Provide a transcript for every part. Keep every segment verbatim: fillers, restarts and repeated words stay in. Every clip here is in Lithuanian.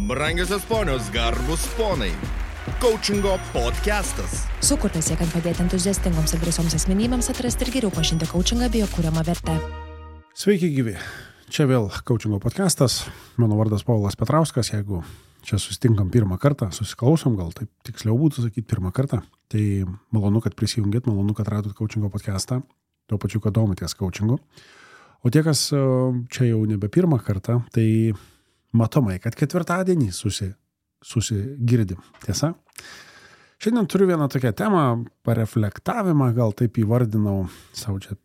Brangiosios ponios, garbus ponai. Coachingo podcastas. Sukurtas siekiant padėti entuziastingoms ir drąsioms asmenybėms atrasti ir geriau pažinti coachingą bei jo kuriamą vertę. Sveiki gyvi. Čia vėl coachingo podcastas. Mano vardas Paulas Petrauskas. Jeigu čia susitinkam pirmą kartą, susiklausom, gal taip tiksliau būtų sakyti pirmą kartą, tai malonu, kad prisijungėt, malonu, kad radot coachingo podcastą, tuo pačiu, kad domitės coachingu. O tie, kas čia jau nebe pirmą kartą, tai matomai, kad ketvirtadienį susi, susigirdim. Tiesa? Šiandien turiu vieną tokią temą, pareflektavimą, gal taip įvardinau, savo čia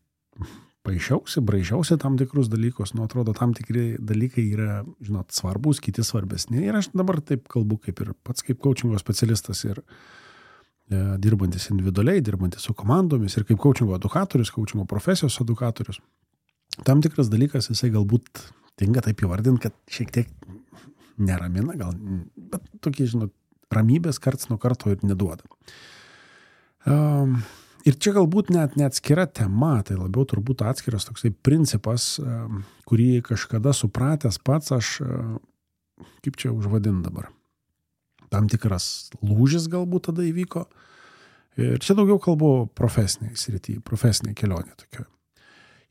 paaišiausi, braižiausi tam tikrus dalykus, nu atrodo, tam tikri dalykai yra, žinot, svarbus, kiti svarbesni. Ir aš dabar taip kalbu kaip ir pats kaip coachingo specialistas ir e, dirbantis individualiai, dirbantis su komandomis ir kaip coachingo edukatorius, coachingo profesijos edukatorius. Tam tikras dalykas, jisai galbūt tinka taip įvardinti, kad šiek tiek neramina, gal, bet tokie, žinot, ramybės karts nuo karto ir neduoda. Um, ir čia galbūt net neatskira tema, tai labiau turbūt atskiras toksai principas, um, kurį kažkada supratęs pats aš, uh, kaip čia užvadin dabar, tam tikras lūžis galbūt tada įvyko. Ir čia daugiau kalbu profesiniai srity, profesiniai kelionė tokia.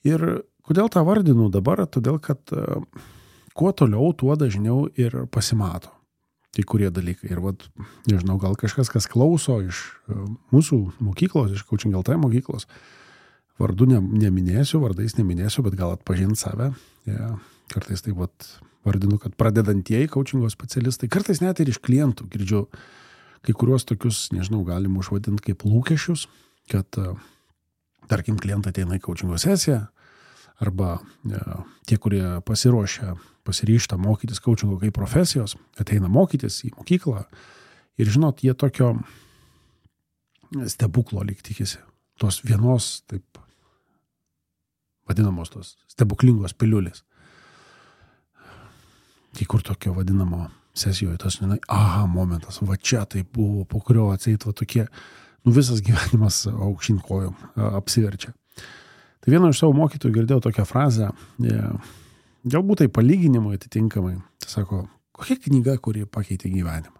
Ir kodėl tą vardinu dabar? Todėl, kad uh, kuo toliau, tuo dažniau ir pasimato kai kurie dalykai. Ir vat, nežinau, gal kažkas, kas klauso iš uh, mūsų mokyklos, iš Coaching L T mokyklos, vardu ne, neminėsiu, vardais neminėsiu, bet gal atpažint save. Ja, kartais taip vat vardinu, kad pradedantieji coachingo specialistai, kartais net ir iš klientų girdžiu kai kuriuos tokius, nežinau, galim užvadinti kaip lūkesčius, kad uh, tarkim, klientai ateina į coachingo sesiją, arba ja, tie, kurie pasiruošia, pasiryžta mokytis coachingo kaip profesijos, ateina mokytis į mokyklą ir, žinot, jie tokio stebuklo lyg tikisi. Tos vienos, taip vadinamos tos stebuklingos piliulės. Kai kur tokio vadinamo sesijoje, tas, žinai, aha, momentas, va čia tai buvo, po kurio atseit va tokie, nu visas gyvenimas aukštyn kojom apsiverčia. Tai vieno iš savo mokytojų girdėjau tokią frazę, galbūt tai palyginimui atitinkamai, tai sako, kokia knyga, kuri pakeitė gyvenimą.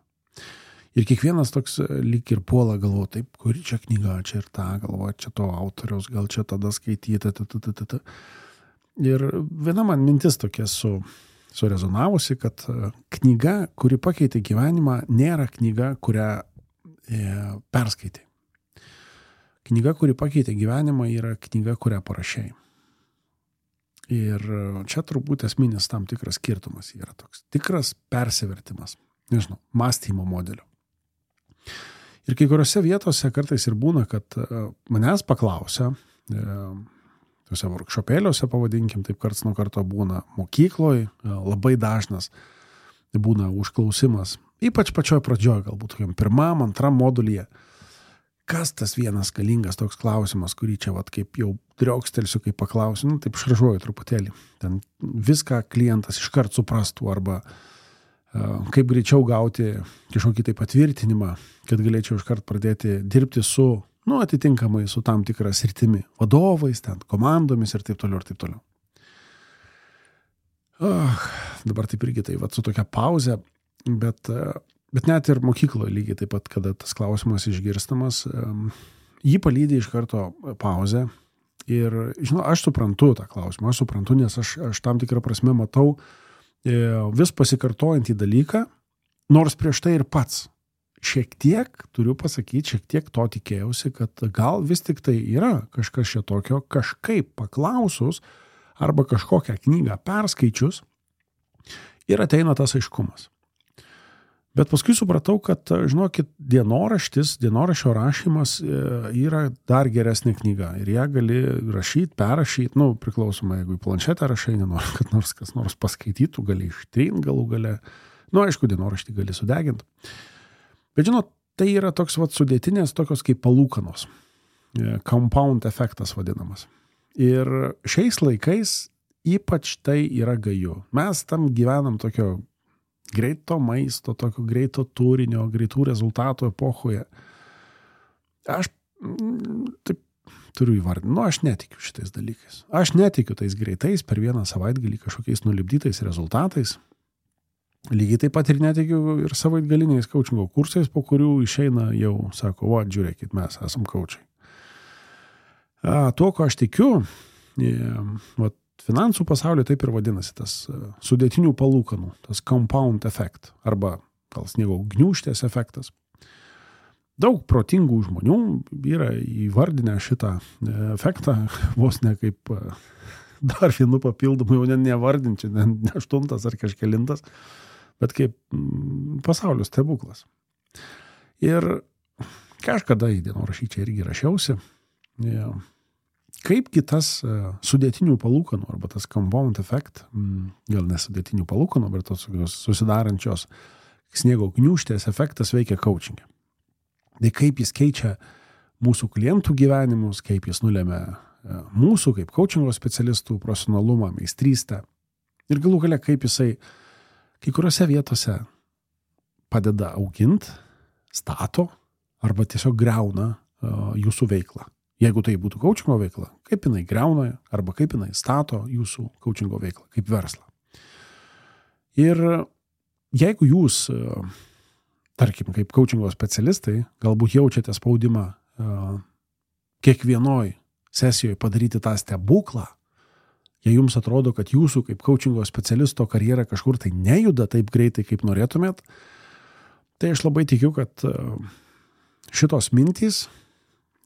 Ir kiekvienas toks lyg ir puola galvo, taip, kuri čia knyga, čia ir ta, galvo, čia to autoriaus, gal čia tada skaityti, ta, ta, ta, ta, ta. Ir viena man mintis tokia su, surezonavusi, kad knyga, kuri pakeitė gyvenimą, nėra knyga, kurią e, perskaitai. Knyga, kuri pakeitė gyvenimą, yra knyga, kurią parašei. Ir čia turbūt esminis tam tikras skirtumas yra toks tikras persivertimas, nežinau, mąstymo modelio. Ir kai kuriuose vietose kartais ir būna, kad manęs paklausia, tuose workshopėliuose, pavadinkim, taip karts nuo karto būna mokykloje, labai dažnas būna užklausimas, ypač pačioj pradžioj, galbūt tokiam pirmam, antram modulyje. Kas tas vienas galingas toks klausimas, kurį čia vat kaip jau driokstelsiu, kaip paklausiu, nu taip šaržuoju truputėlį. Ten viską klientas iškart suprastų arba uh, kaip greičiau gauti kažkokį tai patvirtinimą, kad galėčiau iškart pradėti dirbti su, nu atitinkamai su tam tikra sritimi, vadovais, ten komandomis ir taip toliau ir taip toliau. Uh, dabar taip irgi tai vat su tokia pauze, bet uh, Bet net ir mokykloje lygiai taip pat, kada tas klausimas išgirstamas, jį palydi iš karto pauzę. Ir, žinau, aš suprantu tą klausimą, aš suprantu, nes aš, aš tam tikrą prasme matau vis pasikartojantį dalyką, nors prieš tai ir pats. Šiek tiek, turiu pasakyti, šiek tiek to tikėjausi, kad gal vis tik tai yra kažkas čia tokio, kažkaip paklausus arba kažkokią knygą perskaičius ir ateina tas aiškumas. Bet paskui supratau, kad, žinokit, dienoraštis, dienoraščio rašymas yra dar geresnė knyga. Ir ją gali rašyti, perrašyti, nu, priklausomai, jeigu į planšetę rašai, nenori, kad nors kas nors paskaitytų, gali ištrinti galų gale. Nu, aišku, dienoraštį gali sudeginti. Bet, žinot, tai yra toks vat sudėtinės, tokios kaip palūkanos. Compound efektas vadinamas. Ir šiais laikais ypač tai yra gaju. Mes tam gyvenam tokio greito maisto, tokio greito turinio, greitų rezultatų epochoje. Aš taip turiu įvardinti, nu aš netikiu šitais dalykais. Aš netikiu tais greitais per vieną savaitgalį kažkokiais nulipdytais rezultatais. Lygiai taip pat ir netikiu ir savaitgaliniais coachingo kursais, po kurių išeina jau, sako, va, žiūrėkit, mes esam coachai. A, tuo, ko aš tikiu, e, va, finansų pasaulio taip ir vadinasi, tas sudėtinių palūkanų, tas compound effect, arba gal sniego gniūžtės efektas. Daug protingų žmonių yra įvardinę šitą efektą, vos ne kaip dar vienu papildomu, jau ne nevardinčiau, ne, ne aštuntas ar kažkelintas, bet kaip pasaulio stebuklas. Ir kažkada į dienorašyčią irgi rašiausi, kaipgi tas sudėtinių palūkanų, arba tas compound effect, gal nesudėtinių palūkanų, bet tos susidarančios sniego gniūžtės efektas veikia coachingė. Tai kaip jis keičia mūsų klientų gyvenimus, kaip jis nulemia mūsų kaip coachingo specialistų profesionalumą, meistrystę. Ir galų gale, kaip jisai kai kuriuose vietose padeda augint, stato arba tiesiog greuna jūsų veiklą. Jeigu tai būtų coachingo veikla, kaip jinai greuna arba kaip jinai stato jūsų coachingo veiklą, kaip verslą. Ir jeigu jūs, tarkim, kaip coachingo specialistai, galbūt jaučiate spaudimą kiekvienoj sesijoje padaryti tą stebuklą, jei jums atrodo, kad jūsų kaip coachingo specialisto karjera kažkur tai nejuda taip greitai, kaip norėtumėt, tai aš labai tikiu, kad šitos mintys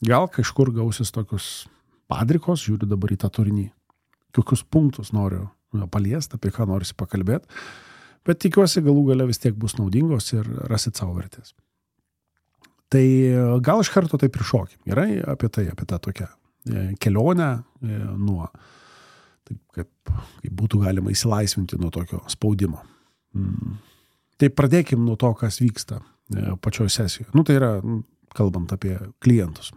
gal kažkur gausis tokius padrikos, žiūriu dabar į tą turinį, kokius punktus noriu paliesti, apie ką norisi pakalbėti, bet tikiuosi galų gale vis tiek bus naudingos ir rasit savo vertės. Tai gal iš karto taip ir šokim. Gerai, apie tai, apie tą tokią kelionę nuo, taip kaip, kaip būtų galima įsilaisvinti nuo tokio spaudimo. Tai pradėkim nuo to, kas vyksta pačioje sesijoje. Nu, tai yra, kalbant apie klientus.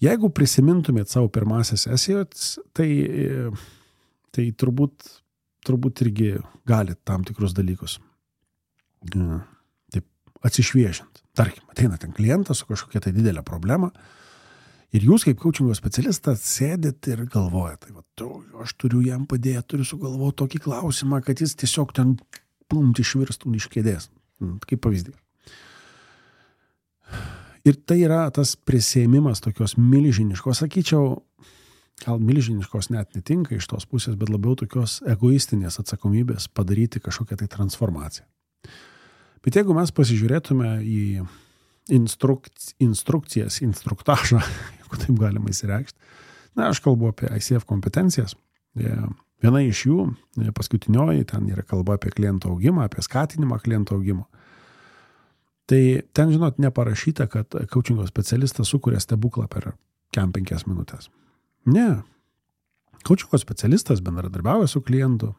Jeigu prisimintumėt savo pirmąsias sesijas, tai, tai turbūt turbūt irgi gali tam tikrus dalykus taip atsišviežint. Tarkim, ateina ten klientas su kažkokia tai didelė problema ir jūs kaip coachingo specialistas sėdit ir galvojat, tai va, aš turiu jam padėti, turiu sugalvoti tokį klausimą, kad jis tiesiog ten plumt išvirstų iš kėdės. Kaip pavyzdį. Ir tai yra tas prisėmimas tokios milžiniškos, sakyčiau, gal milžiniškos net netinka iš tos pusės, bet labiau tokios egoistinės atsakomybės padaryti kažkokią tai transformaciją. Bet jeigu mes pasižiūrėtume į instruk, instrukcijas, instruktažą, jeigu taip galima įsireikšti, na, aš kalbu apie I C F kompetencijas. Viena iš jų, paskutinioji, ten yra kalba apie klientų augimą, apie skatinimą klientų augimo. Tai ten, žinot, neparašyta, kad coachingo specialistas sukuria stebuklą per kem penkias minutės. Ne. Coachingo specialistas bendradarbiauja su klientu,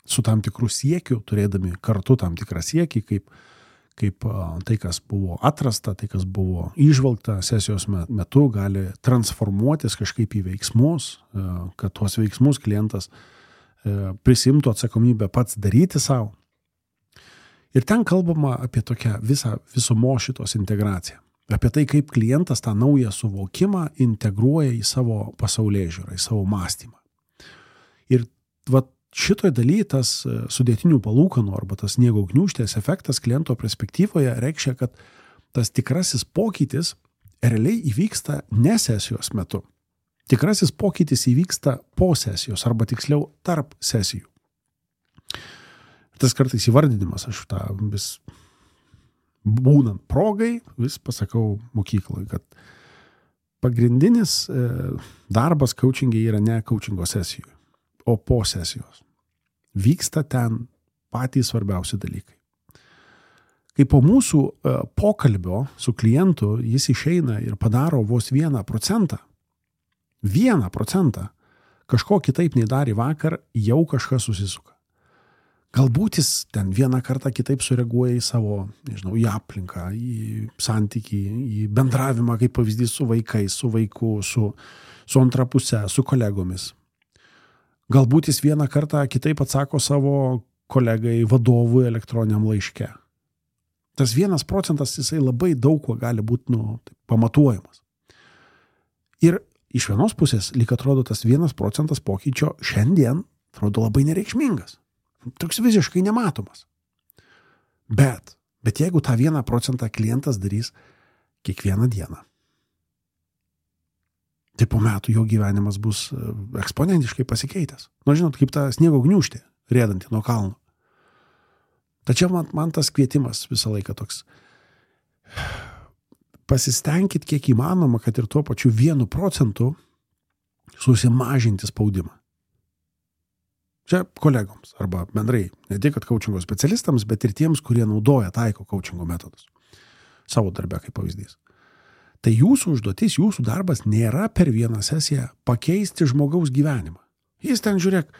su tam tikrų siekių, turėdami kartu tam tikrą siekį, kaip, kaip tai, kas buvo atrasta, tai, kas buvo įžvalgta sesijos metu, gali transformuotis kažkaip į veiksmus, kad tuos veiksmus klientas prisimtų atsakomybę pats daryti savo. Ir ten kalbama apie tokią visą visumo šitos integraciją. Apie tai, kaip klientas tą naują suvokimą integruoja į savo pasaulėžiūrą, į savo mąstymą. Ir va, šitoje dalyje tas sudėtinių palūkanų arba tas sniego gniūžtės efektas kliento perspektyvoje reikšia, kad tas tikrasis pokytis realiai įvyksta ne sesijos metu. Tikrasis pokytis įvyksta po sesijos arba tiksliau tarp sesijų. Tas kartais įvardinimas, aš tą vis būnant progai, vis pasakau mokyklai, kad pagrindinis darbas coachingai yra ne coachingo sesijoje, o po sesijos. Vyksta ten patys svarbiausi dalykai. Kai po mūsų pokalbio su klientu jis išeina ir padaro vos vieną procentą, vieną procentą, kažko kitaip nei darė vakar, jau kažkas susisuka. Galbūt jis ten vieną kartą kitaip sureaguoja į savo, nežinau, į aplinką, į santykį, į bendravimą, kaip pavyzdys su vaikais, su vaiku, su, su antra puse, su kolegomis. Galbūt jis vieną kartą kitaip atsako savo kolegai vadovui elektroniniam laiške. Tas vienas procentas jisai labai daug kuo gali būti nu, pamatuojamas. Ir iš vienos pusės, lyg atrodo, tas vienas procentas pokyčio šiandien atrodo labai nereikšmingas. Toks visiškai nematomas. Bet, bet jeigu tą vieną procentą klientas darys kiekvieną dieną, tai po metų jo gyvenimas bus eksponentiškai pasikeitęs. Nu, žinot, kaip ta sniego gniūžtė, rėdanti nuo kalno. Tačiau man, man tas kvietimas visą laiką toks. Pasistengkit kiek įmanoma, kad ir tuo pačiu vienu procentu susimažinti spaudimą. Čia kolegoms arba bendrai, ne tik kad coachingo specialistams, bet ir tiems, kurie naudoja, taiko coachingo metodus. Savo darbe kaip pavyzdys. Tai jūsų užduotis, jūsų darbas nėra per vieną sesiją pakeisti žmogaus gyvenimą. Jis ten, žiūrėk,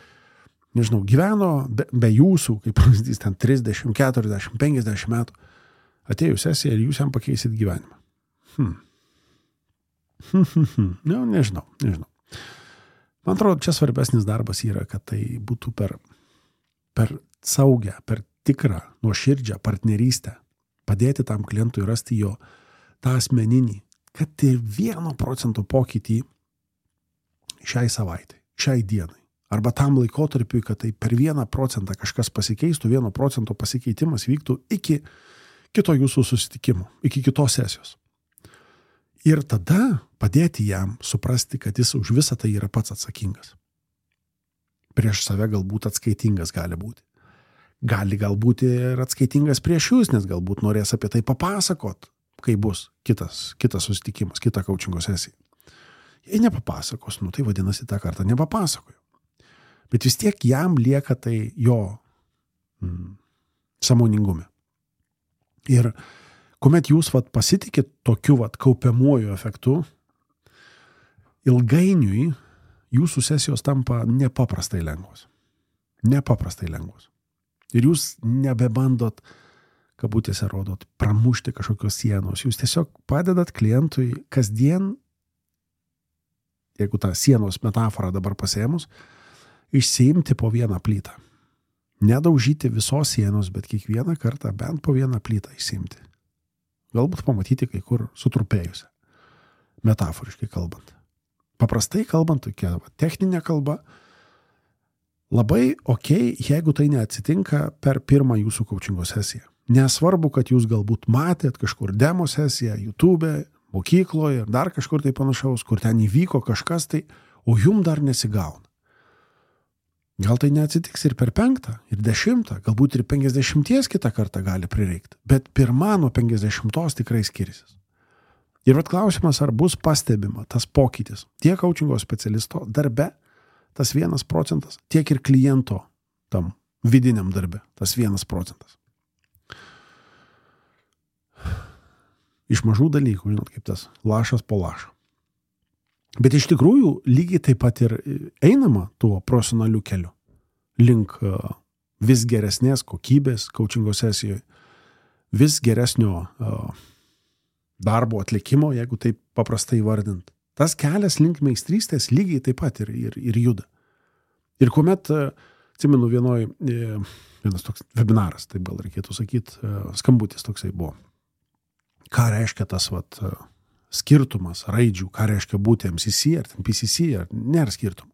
nežinau, gyveno be, be jūsų, kaip pavyzdys, ten trisdešimt, keturiasdešimt, penkiasdešimt metų. Atėjo sesija ir jūs jam pakeisit gyvenimą. Hmm. Hmm, hmm, hmm. Nu, nežinau, nežinau. Man atrodo, čia svarbesnis darbas yra, kad tai būtų per, per saugę, per tikrą, nuoširdžią partnerystę, padėti tam klientui rasti jo tą asmeninį, kad ir vieno procento pokytį šiai savaitai, šiai dienai, arba tam laikotarpiui, kad tai per vieną procentą kažkas pasikeistų, vieno procento pasikeitimas vyktų iki kito jūsų susitikimo, iki kitos sesijos. Ir tada padėti jam suprasti, kad jis už visą tai yra pats atsakingas. Prieš save galbūt atskaitingas gali būti. Gali galbūt ir atskaitingas prieš jūs, nes galbūt norės apie tai papasakot, kai bus kitas, kitas susitikimas, kita coachingo sesija. Jei nepapasakos, nu tai vadinasi tą kartą nepapasakoju. Bet vis tiek jam lieka tai jo mm, sąmoningume. Ir kuomet jūs vat, pasitikit tokiu vat, kaupiamuoju efektu, ilgainiui jūsų sesijos tampa nepaprastai lengvos. Nepaprastai lengvos. Ir jūs nebebandot, kabutėse rodot, pramušti kažkokios sienos. Jūs tiesiog padedat klientui kasdien, jeigu tą sienos metaforą dabar pasėmus, išsiimti po vieną plytą. Nedaužyti visos sienos, bet kiekvieną kartą bent po vieną plytą išsiimti. Galbūt pamatyti kai kur sutrupėjusią, metaforiškai kalbant. Paprastai kalbant, tokia techninė kalba, labai okei, jeigu tai neatsitinka per pirmą jūsų coachingo sesiją. Nesvarbu, kad jūs galbūt matėt kažkur demo sesiją, YouTube, mokykloje ir dar kažkur tai panašaus, kur ten įvyko kažkas tai, o jum dar nesigauna. Gal tai neatsitiks ir per penktą, ir dešimtą, galbūt ir penkiasdešimties kitą kartą gali prireikti, bet pirma nuo penkiasdešimtos tikrai skirisis. Ir vat klausimas, ar bus pastebima tas pokytis tiek coachingo specialisto darbe, tas vienas procentas, tiek ir kliento tam vidiniam darbe, tas vienas procentas. Iš mažų dalykų, žinot, kaip tas lašas po lašo. Bet iš tikrųjų lygiai taip pat ir einama tuo profesionaliu keliu link vis geresnės kokybės coachingo sesijoje, vis geresnio darbo atlikimo, jeigu taip paprastai vardint. Tas kelias link meistrystės lygiai taip pat ir, ir, ir juda. Ir kuomet, atsimenu, vienoj, vienas toks webinaras, taip gal reikėtų sakyti, skambutis toksai buvo. Ką reiškia tas vat, skirtumas raidžių, ką reiškia būti M C C ar P C C, ar nėra skirtumų.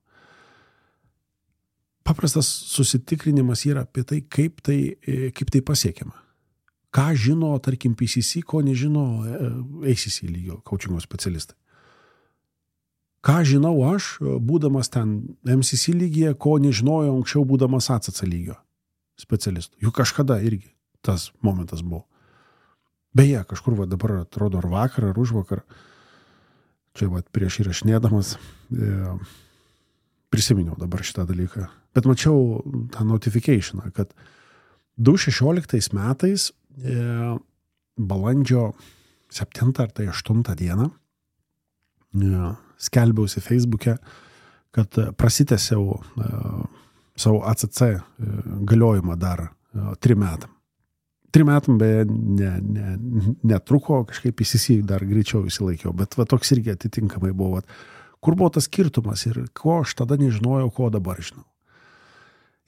Paprastas susitikrinimas yra apie tai, kaip tai, kaip tai pasiekiama. Ką žino, tarkim, P C C, ko nežino A C C lygio coachingo specialistai. Ką žinau aš, būdamas ten M C C lygyje, ko nežinojau anksčiau, būdamas A C C lygio specialistų. Juk kažkada irgi tas momentas buvo. Beje, kažkur va, dabar atrodo ar vakar, ar užvakar, čia va, prieš įrašinėdamas, e, prisiminiau dabar šitą dalyką. Bet mačiau tą notificationą, kad du tūkstančiai šešioliktais metais e, balandžio septintą ar tai aštuntą dieną e, skelbiausi Facebook'e, kad prasitęsiau e, savo A C C e, galiojimą dar e, trim metam. Trim metam beje ne, ne, netruko, kažkaip P C C dar greičiau įsilaikiau, bet va, toks irgi atitinkamai buvo. Va, kur buvo tas skirtumas ir ko aš tada nežinojau, ko dabar žinau.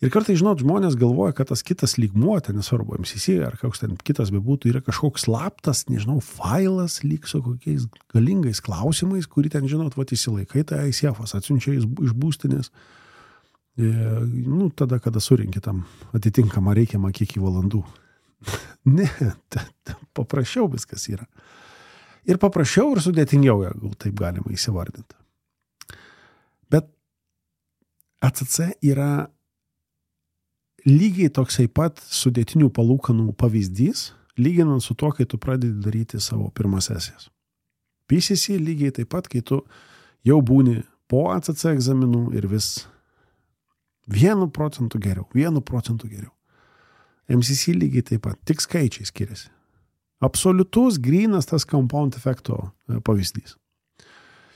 Ir kartais, žinot, žmonės galvoja, kad tas kitas lygmuo, ten nesvarbu, M C C ar koks ten kitas bebūtų, yra kažkoks slaptas, nežinau, failas lyg su kokiais galingais klausimais, kurį ten, žinot, va, įsilaikai, tai I C F-as atsiunčia iš būstinės. nu, tada, kada surinki tam atitinkamą reikiamą kiekį valandų. Ne, ta, ta, paprasčiau viskas yra. Ir paprasčiau ir sudėtingiau, jeigu taip galima įsivardinti. Bet A C C yra lygiai toksai pat sudėtinių palūkanų pavyzdys, lyginant su tuo, kai tu pradedi daryti savo pirmas sesijas. P C C lygiai taip pat, kai tu jau būni po A C C egzaminų ir vis vienu procentu geriau, vienu procentu geriau. M C C lygiai taip pat, tik skaičiai skiriasi. Absoliutus, grynas tas compound efekto pavyzdys.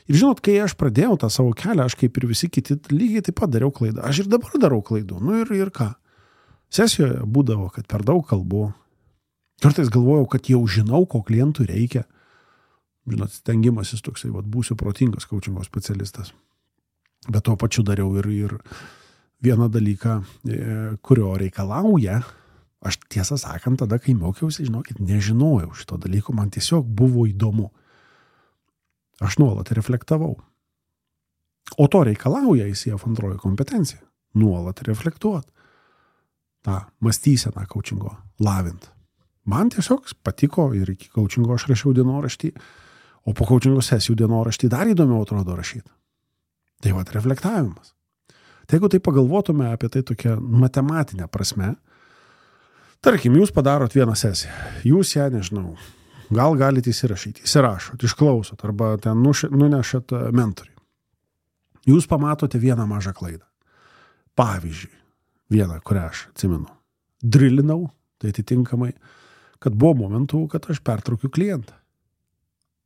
Ir žinot, kai aš pradėjau tą savo kelią, aš kaip ir visi kiti lygiai taip pat dariau klaidą. Aš ir dabar darau klaidų. Nu ir, ir ką? Sesijoje būdavo, kad per daug kalbu. Kartais galvojau, kad jau žinau, ko klientui reikia. Žinot, stengimasis toksai, vat, būsiu protingas coachingo specialistas. Bet tuo pačiu dariau ir, ir vieną dalyką, kurio reikalauja. Aš tiesą sakant, tada, kai mokiausi, žinokit, nežinojau šito dalyko, man tiesiog buvo įdomu. Aš nuolat reflektavau. O to reikalauja I C F antroji kompetencija. Nuolat reflektuot. tą mąstyseną coachingo lavint. Man tiesiog patiko ir iki coachingo aš rašiau dienoraštį, o po coachingo sesijų dienoraštį dar įdomiau atrodo rašyti. Tai vat reflektavimas. Tai jeigu tai pagalvotume apie tai tokią matematinę prasme, tarkim, jūs padarot vieną sesiją, jūs ją, nežinau, gal galite įsirašyti, įsirašot, išklausot, arba ten nunešat mentoriui. Jūs pamatote vieną mažą klaidą. Pavyzdžiui, vieną, kurią aš atsimenu, drilinau, tai atitinkamai, kad buvo momentų, kad aš pertraukiu klientą.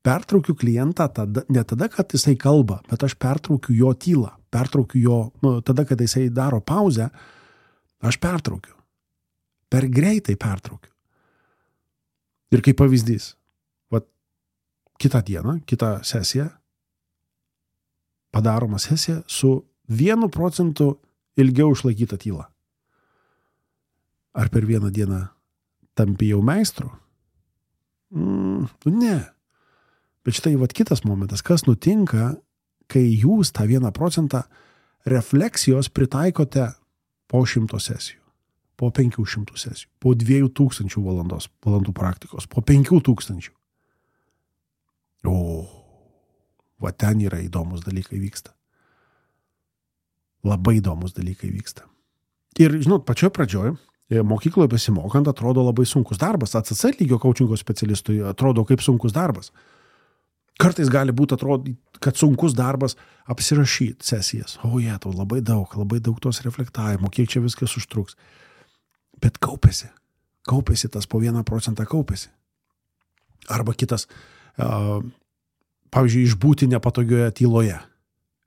Pertraukiu klientą tada, ne tada, kad jisai kalba, bet aš pertraukiu jo tylą, pertraukiu jo, nu, tada, kad jisai daro pauzę, aš pertraukiu. Per greitai pertraukiu. Ir kaip pavyzdys, vat, kitą dieną, kitą sesiją, padaroma sesija su vienu procentu ilgiau išlaikyta tyla. Ar per vieną dieną tampi jau meistru? Mm, ne. Bet štai vat kitas momentas, kas nutinka, kai jūs tą vieną procentą refleksijos pritaikote po šimto sesijų, po penkių šimtų sesijų, po dviejų tūkstančių valandos, valandų praktikos, po penkių tūkstančių. O, va ten yra įdomus dalykai vyksta. Labai įdomus dalykai vyksta. Ir, žinot, pačioje pradžioje, mokykloje besimokant, atrodo labai sunkus darbas. A C C lygio coachingo specialistui atrodo kaip sunkus darbas. Kartais gali būti atrodyti, kad sunkus darbas apsirašyti sesijas. O jie, tau labai daug, labai daug tos reflektavimo, kiek čia viskas užtruks. Bet kaupėsi. Kaupėsi tas po vieną procentą kaupėsi. Arba kitas, uh, pavyzdžiui, išbūti nepatogioje tyloje.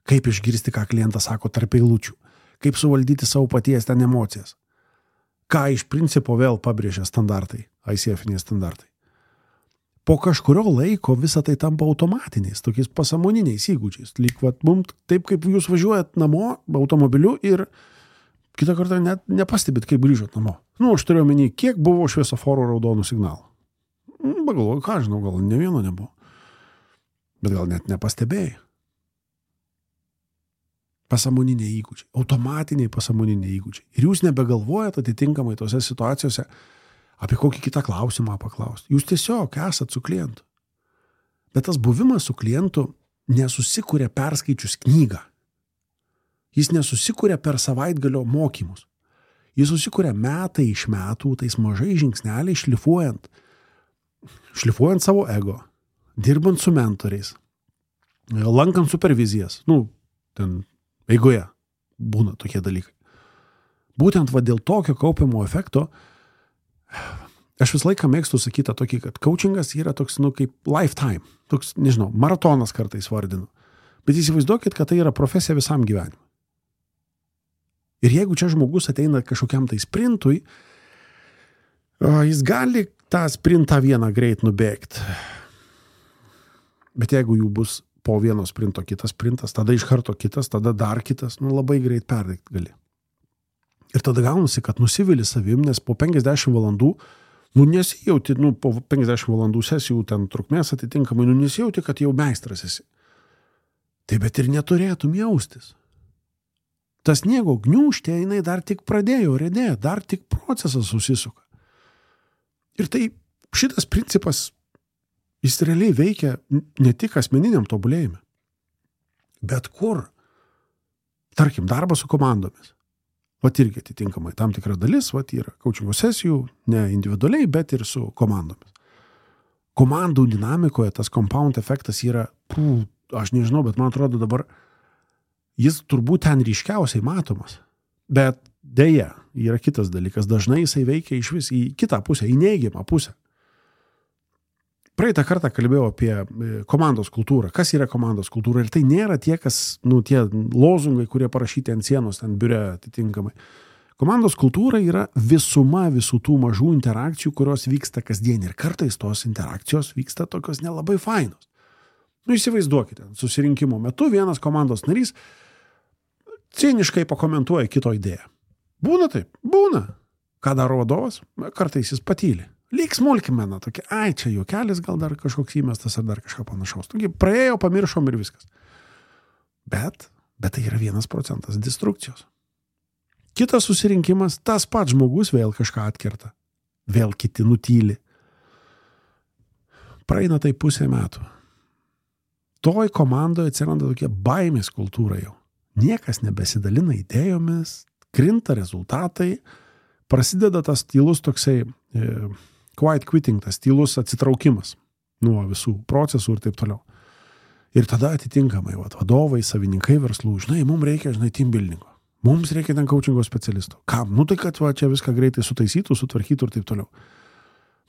Kaip išgirsti, ką klientas sako tarp eilučių. Kaip suvaldyti savo paties ten emocijas. Ką iš principo vėl pabrėžia standartai, I C F-iniai standartai. Po kažkurio laiko visą tai tampa automatiniais, tokiais pasąmoniniais įgūdžiais. Lyg, vat, mums taip, kaip jūs važiuojat namo automobiliu ir kitą kartą net nepastebit, kaip grįžot namo. Nu, aš turiu omeny, kiek buvo šviesoforų raudonų signalų. Pagalvoju, ką žinau, gal ne vieno nebuvo. Bet gal net nepastebėjai. Pasąmoniniai įgūdžiai, automatiniai pasąmoniniai įgūdžiai. Ir jūs nebegalvojat atitinkamai tose situacijose, apie kokį kitą klausimą paklausti. Jūs tiesiog esat su klientu. Bet tas buvimas su klientu nesusikuria perskaičius knygą. Jis nesusikuria per savaitgalio mokymus. Jis susikuria metai iš metų, tais mažai žingsneliai šlifuojant. Šlifuojant savo ego, dirbant su mentoriais, lankant supervizijas. Nu, ten eigoje būna tokie dalykai. Būtent va dėl tokio kaupiamo efekto aš visą laiką mėgstu sakyti tokį, kad coachingas yra toks, nu, kaip lifetime. Toks, nežinau, maratonas kartais vardinu. Bet įsivaizduokit, kad tai yra profesija visam gyvenimui. Ir jeigu čia žmogus ateina kažkokiam tai sprintui, jis gali tą sprintą vieną greit nubėgti. Bet jeigu jų bus po vieno sprinto kitas sprintas, tada iš karto kitas, tada dar kitas, nu, labai greit perdėti gali. Ir tada gaunasi, kad nusivili savim, nes po penkiasdešimt valandų, nu nesijauti, nu po penkiasdešimt valandų sesijų ten trukmės atitinkamai, nu nesijauti, kad jau meistras esi. Tai bet ir neturėtum jaustis. Tas sniego gniūžtė, jinai dar tik pradėjo redėti, dar tik procesas susisuka. Ir tai šitas principas, jis realiai veikia ne tik asmeniniam tobulėjime, bet kur. Tarkim, darbas su komandomis. Vat irgi atitinkamai tam tikra dalis, vat yra coachingo sesijų, ne individualiai, bet ir su komandomis. Komandų dinamikoje tas compound efektas yra, pū, aš nežinau, bet man atrodo dabar, jis turbūt ten ryškiausiai matomas. Bet dėja, yra kitas dalykas. Dažnai jisai veikia iš vis į kitą pusę, į neigiamą pusę. Praeitą kartą kalbėjau apie komandos kultūrą. Kas yra komandos kultūra? Ir tai nėra tie, kas, nu, tie lozungai, kurie parašyti ant sienos, ten biure atitinkamai. Komandos kultūra yra visuma visų tų mažų interakcijų, kurios vyksta kasdien. Ir kartais tos interakcijos vyksta tokios nelabai fainos. Nu, įsivaizduokite, susirinkimo metu vienas komandos narys ciniškai pakomentuoja kito idėją. Būna taip? Būna. Ką daro vadovas? Kartais jis patyli. Lyg smulkmena tokia, ai, čia juokelis gal dar kažkoks įmestas ar dar kažką panašaus. Tokia, praėjo, pamiršom ir viskas. Bet, bet tai yra vienas procentas destrukcijos. Kitas susirinkimas, tas pats žmogus vėl kažką atkerta. Vėl kiti nutyli. Praeina tai pusę metų. Toj komandoje atsiranda tokia baimės kultūra jau. Niekas nebesidalina idėjomis, krinta rezultatai, prasideda tas tylus toksai e, quiet quitting, tas tylus atsitraukimas nuo visų procesų ir taip toliau. Ir tada atitinkamai vat, vadovai, savininkai verslų, žinai, mums reikia, žinai, team buildingo. Mums reikia ten coachingo specialisto. Kam? Nu tai, kad va, čia viską greitai sutaisytų, sutvarkytų ir taip toliau.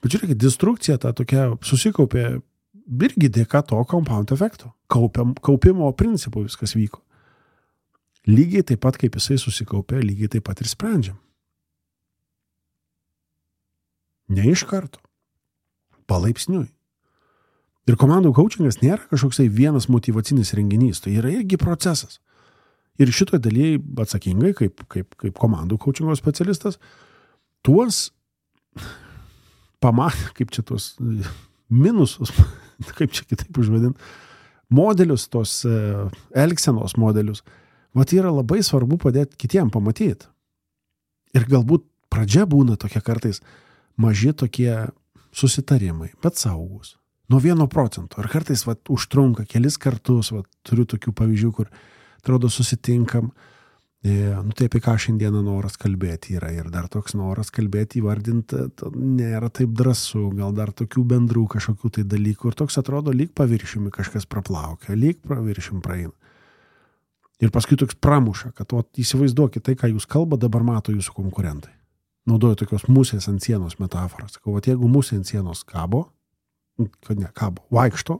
Bet žiūrėkit, destrukcija ta tokia susikaupė irgi dėka to compound efekto. Kaupiam, kaupimo principų viskas vyko. Lygiai taip pat, kaip jisai susikaupė, lygiai taip pat ir sprendžiam. Ne iš karto. Palaipsniui. Ir komandų coachingas nėra kažkoksai vienas motyvacinis renginys. Tai yra irgi procesas. Ir šitoje dalyje atsakingai, kaip, kaip, kaip komandų coachingo specialistas, tuos pamatė, kaip čia tuos minusus, kaip čia kitaip užvadint, modelius, tos elgsenos modelius, vat yra labai svarbu padėti kitiem pamatyti. Ir galbūt pradžia būna tokia kartais maži tokie susitarimai, bet saugus. Nuo vieno procento. Ir kartais vat, užtrunka kelis kartus, vat, turiu tokių pavyzdžių, kur atrodo susitinkam, e, nu tai apie ką šiandieną noras kalbėti yra. Ir dar toks noras kalbėti įvardinti nėra taip drąsu, gal dar tokių bendrų kažkokių tai dalykų. Ir toks atrodo, lyg paviršiumi kažkas praplaukia, lyg paviršiumi praeina. Ir paskui toks pramuša, kad o, įsivaizduokit, tai, ką jūs kalba, dabar mato jūsų konkurentai. Naudoju tokios musės ant sienos metaforos. Sakau, vat, jeigu musė ant sienos kabo, kad ne, kabo, vaikšto,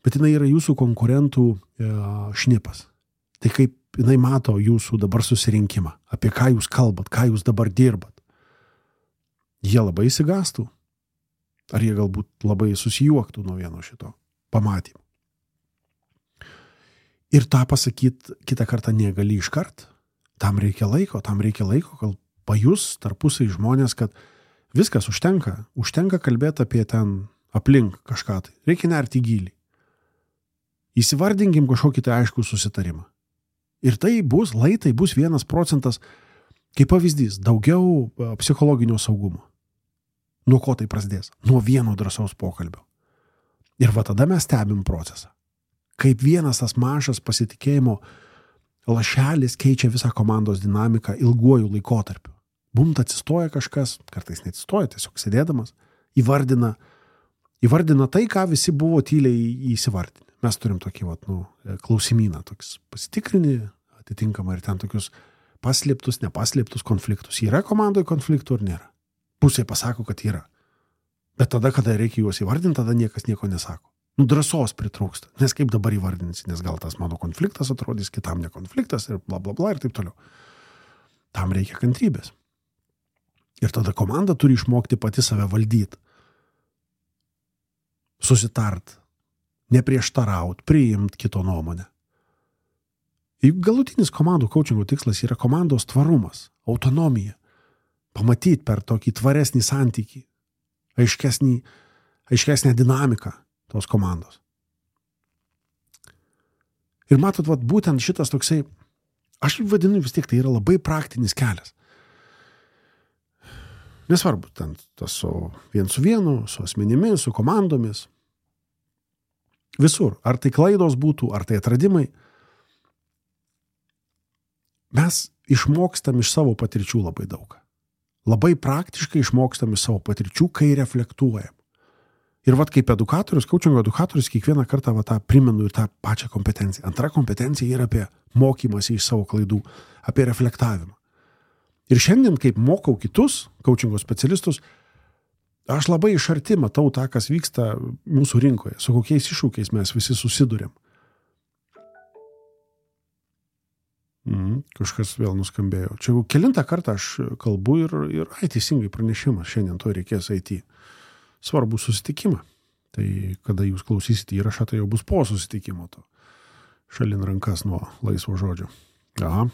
bet jinai yra jūsų konkurentų e, šnipas. Tai kaip jinai mato jūsų dabar susirinkimą, apie ką jūs kalbat, ką jūs dabar dirbat. Jie labai įsigastų. Ar jie galbūt labai susijuoktų nuo vieno šito pamatymo. Ir tą pasakyti kitą kartą negali iškart. Tam reikia laiko, tam reikia laiko, kol pajus tarpusai žmonės, kad viskas užtenka. Užtenka kalbėti apie ten aplink kažką tai. Reikia nerti gilį. Įsivardinkim kažkokį tai aiškų susitarimą. Ir tai bus, lai tai bus vienas procentas, kaip pavyzdys, daugiau psichologinio saugumo. Nuo ko tai prasidės? Nuo vieno drąsaus pokalbio. Ir va tada mes stebim procesą. Kaip vienas tas mažas pasitikėjimo lašelis keičia visą komandos dinamiką ilguoju laikotarpiu. Bumt atsistoja kažkas, kartais neatsistoja, tiesiog sėdėdamas, įvardina, įvardina tai, ką visi buvo tyliai įsivardinę. Mes turim tokį vat, nu, klausimyną, toks pasitikrinį, atitinkamą ir ten tokius paslėptus, nepaslėptus konfliktus. Yra komandoje konfliktų ar nėra? Pusė pasako, kad yra. Bet tada, kada reikia juos įvardinti, tada niekas nieko nesako. Nu, drąsos pritrūksta. Nes kaip dabar įvardinsi, nes gal tas mano konfliktas atrodys, kitam ne konfliktas ir bla bla bla ir taip toliau. Tam reikia kantrybės. Ir tada komanda turi išmokti pati save valdyti. Susitart. Neprieštaraut, priimt kito nuomonę. Juk galutinis komandų coachingo tikslas yra komandos tvarumas, autonomija. Pamatyti per tokį tvaresnį santykį, aiškesnį, aiškesnę dinamiką tos komandos. Ir matot, vat, būtent šitas toksai Aš vadinu vis tiek, tai yra labai praktinis kelias. Nesvarbu, ten tas su vien su vienu, su asmenimis, su komandomis. Visur. Ar tai klaidos būtų, ar tai atradimai. Mes išmokstam iš savo patirčių labai daug. Labai praktiškai išmokstam iš savo patirčių, kai reflektuojam. Ir vat kaip edukatorius, coachingo edukatorius, kiekvieną kartą va, tą primenu ir tą pačią kompetenciją. Antra kompetencija yra apie mokymąsi iš savo klaidų, apie reflektavimą. Ir šiandien, kaip mokau kitus coachingo specialistus, aš labai iš arti matau tą, kas vyksta mūsų rinkoje, su kokiais iššūkiais mes visi susidurėm. Mm, kažkas vėl nuskambėjo. Čia jau kelintą kartą aš kalbu ir, ir ai, teisingai pranešimas, šiandien to reikės eiti svarbų susitikimą. Tai kada jūs klausysite įrašą, tai jau bus po susitikimo to. Šalin rankas nuo laisvo žodžio. Aha.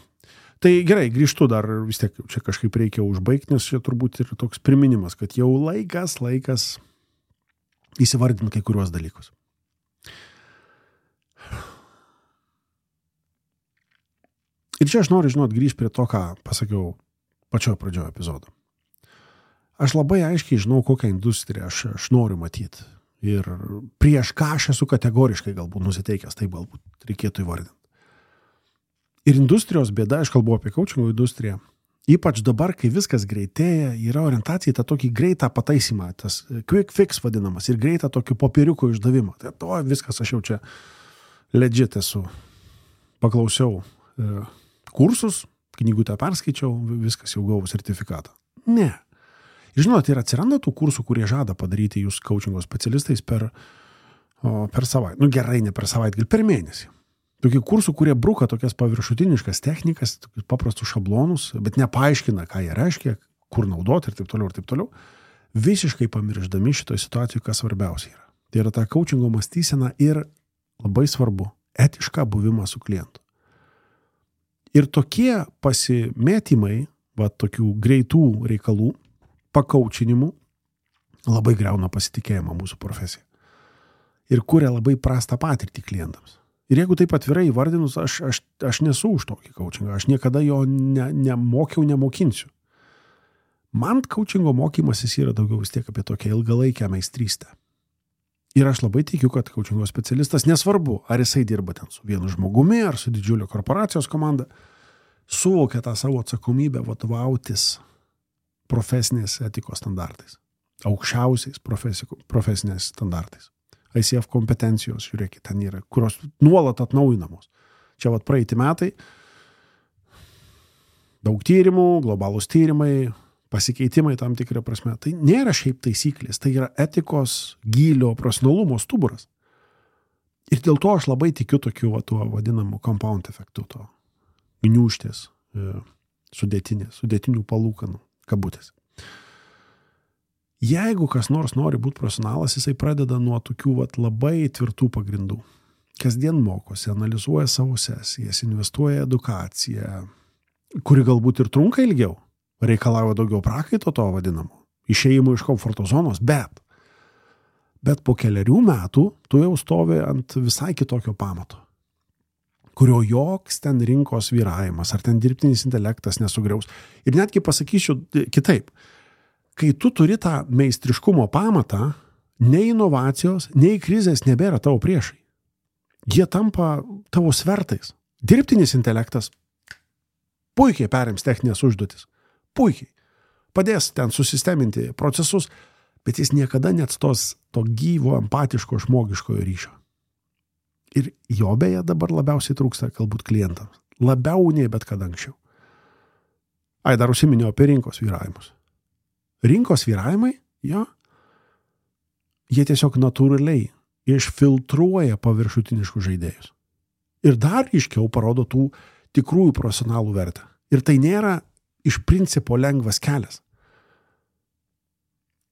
Tai gerai, grįžtu dar, vis tiek čia kažkaip reikia užbaigti, nes čia turbūt ir toks priminimas, kad jau laikas, laikas įsivardinti kai kuriuos dalykus. Ir čia aš noriu, žinot, grįžti prie to, ką pasakiau pačioje pradžioje epizodo. Aš labai aiškiai žinau, kokią industriją aš, aš noriu matyti. Ir prieš ką aš esu kategoriškai galbūt nusiteikęs, tai galbūt reikėtų įvardinti. Ir industrijos bėda, aš kalbu apie coachingo industriją, ypač dabar, kai viskas greitėja, yra orientacija į tą tokį greitą pataisimą, tas quick fix vadinamas, ir greitą tokį popieriuko išdavimą. Tai to viskas, aš jau čia legit esu. Paklausiau e, kursus, knygutę perskaičiau, viskas jau gavau sertifikatą. Ne. Žinot, ir atsiranda tų kursų, kurie žada padaryti jūs coachingo specialistais per, o, per savaitę. Nu gerai, ne per savaitę, gal per mėnesį. Tokių kursų, kurie bruka tokias paviršutiniškas technikas, tokius paprastus šablonus, bet nepaaiškina, ką jie reiškia, kur naudoti ir taip toliau ir taip toliau, visiškai pamiršdami šitoje situacijoje, kas svarbiausia yra. Tai yra ta coachingo mąstysena ir labai svarbu, etišką buvimą su klientu. Ir tokie pasimėtymai, va, tokių greitų reikalų, pakaučinimų, labai griauna pasitikėjimą mūsų profesiją. Ir kuria labai prastą patirtį klientams. Ir jeigu taip atvirai įvardinus, aš, aš, aš nesu už tokį coachingą, aš niekada jo ne, nemokiau, nemokinsiu. Man coachingo mokymasis yra daugiau vis tiek apie tokią ilgalaikę meistrystę. Ir aš labai tikiu, kad coachingo specialistas, nesvarbu, ar jisai dirba ten su vienu žmogumi, ar su didžiulio korporacijos komanda, suvokia tą savo atsakomybę vadovautis profesinės etikos standartais, aukščiausiais profesinės standartais. I C F kompetencijos, žiūrėkit, ten yra, kurios nuolat atnaujinamos. Čia vat praeiti metai, daug tyrimų, globalūs tyrimai, pasikeitimai tam tikrą prasme. Tai nėra šiaip taisyklės, tai yra etikos gylio profesionalumo stuburas. Ir dėl to aš labai tikiu tokiu va, tuo vadinamu compound efektu, to gniūžtės, sudėtinės, sudėtinių palūkanų, kabutės. Jeigu kas nors nori būti profesionalas, jisai pradeda nuo tokių vat, labai tvirtų pagrindų. Kasdien mokosi, analizuoja savo sesijas, investuoja edukaciją, kuri galbūt ir trunka ilgiau, reikalauja daugiau prakaito to vadinamo, išėjimo iš komforto zonos, bet, bet po keliarių metų tu jau stovi ant visai kitokio pamato, kurio joks ten rinkos vyravimas, ar ten dirbtinis intelektas nesugriaus. Ir netgi pasakysiu kitaip. Kai tu turi tą meistriškumo pamatą, nei inovacijos, nei krizės nebėra tavo priešai. Jie tampa tavo svertais. Dirbtinis intelektas puikiai perims techninės užduotis. Puikiai. Padės ten susisteminti procesus, bet jis niekada neatstos to gyvo, empatiško, žmogiškojo ryšio. Ir jo beje dabar labiausiai trūksta galbūt klientams. Labiau nei bet kada anksčiau. Ai, dar užsiminiau apie rinkos vyravimus. Rinkos vyravimai, jo, jie tiesiog natūraliai išfiltruoja paviršutiniškus žaidėjus. Ir dar iškiau parodo tų tikrųjų profesionalų vertę. Ir tai nėra iš principo lengvas kelias.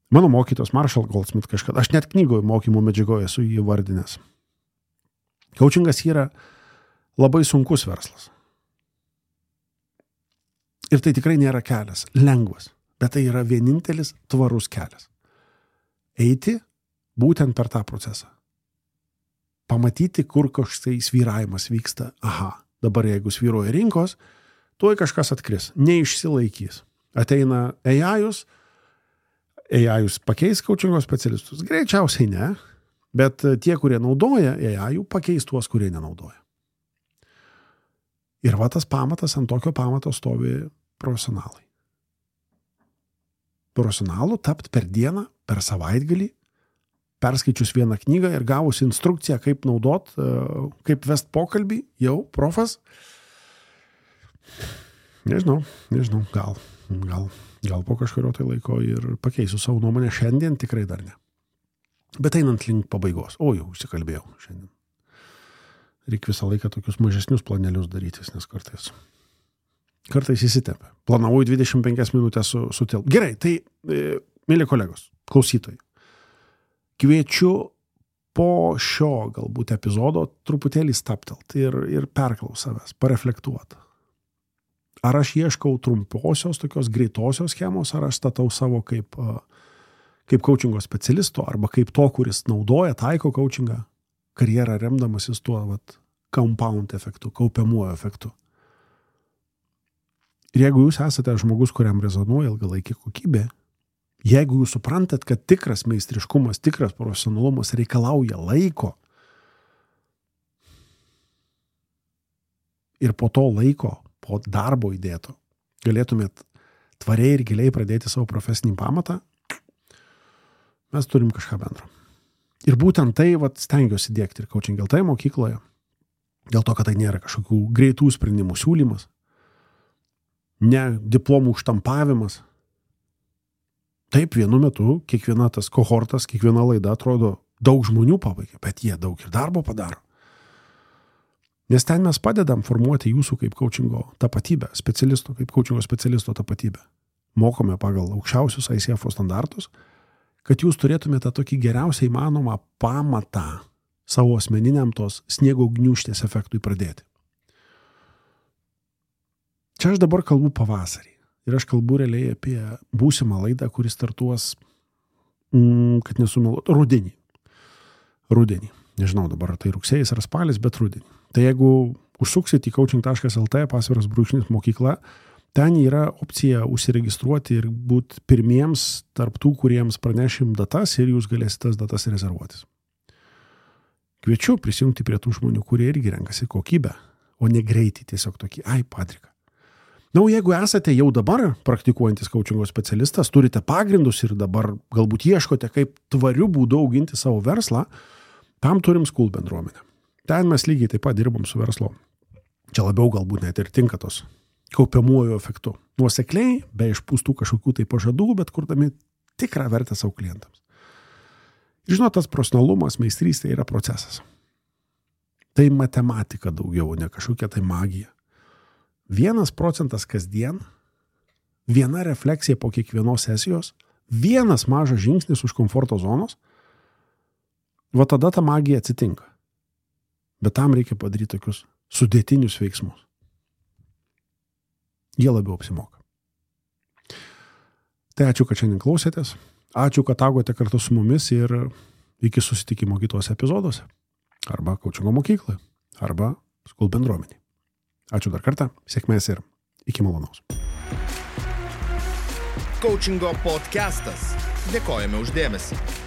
Mano mokytos Marshall Goldsmith kažkada, aš net knygoje mokymo medžiagoje esu jį vardinęs. Coachingas yra labai sunkus verslas. Ir tai tikrai nėra kelias, lengvas. Bet tai yra vienintelis tvarus kelias. Eiti būtent per tą procesą. Pamatyti, kur kažkai svyravimas vyksta. Aha, dabar jeigu svyruoja rinkos, tuoj kažkas atkris, neišsilaikys. Ateina A I-us, A I-us pakeis coachingo specialistus. Greičiausiai ne, bet tie, kurie naudoja A I-ų, pakeis tuos, kurie nenaudoja. Ir va tas pamatas, ant tokio pamato stovi profesionalai. Profesionalu tapt per dieną, per savaitgalį, perskaičius vieną knygą ir gavus instrukciją, kaip naudot, kaip vest pokalbį, jau profas. Nežinau, nežinau, gal, gal, gal po kažkurio tai laiko ir pakeisiu savo nuomonę, šiandien tikrai dar ne. Bet einant link pabaigos, o jau užsikalbėjau šiandien. Reikia visą laiką tokius mažesnius planelius darytis, nes kartais, kartais įsitempia. Planavau dvidešimt penkias minutės su, sutelp. Gerai, tai, e, mėly kolegos, klausytojai, kviečiu po šio galbūt epizodo truputėlį staptelt ir, ir perklaus savęs, pareflektuoti. Ar aš ieškau trumposios, tokios greitosios schemos, ar aš statau savo kaip, kaip coachingo specialisto, arba kaip to, kuris naudoja, taiko coachingą, karjerą remdamasis tuo vat, compound efektu, kaupiamuoju efektu. Ir jeigu jūs esate žmogus, kuriam rezonuoja ilgalaikė kokybė, jeigu jūs suprantat, kad tikras meistriškumas, tikras profesionalumas reikalauja laiko ir po to laiko, po darbo įdėto, galėtumėt tvariai ir giliai pradėti savo profesinį pamatą, mes turim kažką bendro. Ir būtent tai vat, stengiuosi diegti ir Coaching L T mokykloje, dėl to, kad tai nėra kažkokių greitų sprendimų siūlymas, ne diplomų štampavimas. Taip, vienu metu kiekviena tas kohortas, kiekviena laida atrodo daug žmonių pabaigia, bet jie daug ir darbo padaro. Nes ten mes padedam formuoti jūsų kaip coachingo tapatybę, specialisto, kaip coachingo specialisto tapatybę. Mokome pagal aukščiausius I C F standartus, kad jūs turėtumėte tokį geriausiai įmanomą pamatą savo asmeniniam tos sniego gniūžtės efektui pradėti. Čia aš dabar kalbu pavasarį. Ir aš kalbu realiai apie būsimą laidą, kuris startuos, mm, kad nesumeluot, rudenį. Rudenį. Nežinau dabar, tai rugsėjais ar spalis, bet rudenį. Tai jeigu užsuksit į coaching taškas L T pasviras brūkšnys mokykla, ten yra opcija užsiregistruoti ir būti pirmiems tarp tų, kuriems pranešim datas ir jūs galėsite tas datas rezervuotis. Kviečiu prisijungti prie tų žmonių, kurie irgi renkasi kokybę, o ne greitį tiesiog tokį, ai, padrika. Na, o jeigu esate jau dabar praktikuojantis coachingo specialistas, turite pagrindus ir dabar galbūt ieškote, kaip tvariu būdu auginti savo verslą, tam turim School bendruomenę. Ten mes lygiai taip pat dirbam su verslo. Čia labiau galbūt net ir tinka tos kaupiamuoju efektu. Nuosekliai, be išpūstų kažkokių tai pažadų, bet kurdami tikrą vertę savo klientams. Ir žinot, tas profesionalumas, meistrystė yra procesas. Tai matematika daugiau, ne kažkokia tai magija. Vienas procentas kasdien, viena refleksija po kiekvienos sesijos, vienas mažas žingsnis už komforto zonos, va tada ta magija atsitinka. Bet tam reikia padaryti tokius sudėtinius veiksmus. Jie labiau apsimoka. Tai ačiū, kad šiandien klausėtės. Ačiū, kad augote kartu su mumis ir iki susitikimo kitose epizoduose. Arba coachingo mokykloje, arba School bendruomenėje. Ačiū dar kartą, sėkmės ir iki malonaus. Coachingo podcastas. Dėkojame už dėmesį.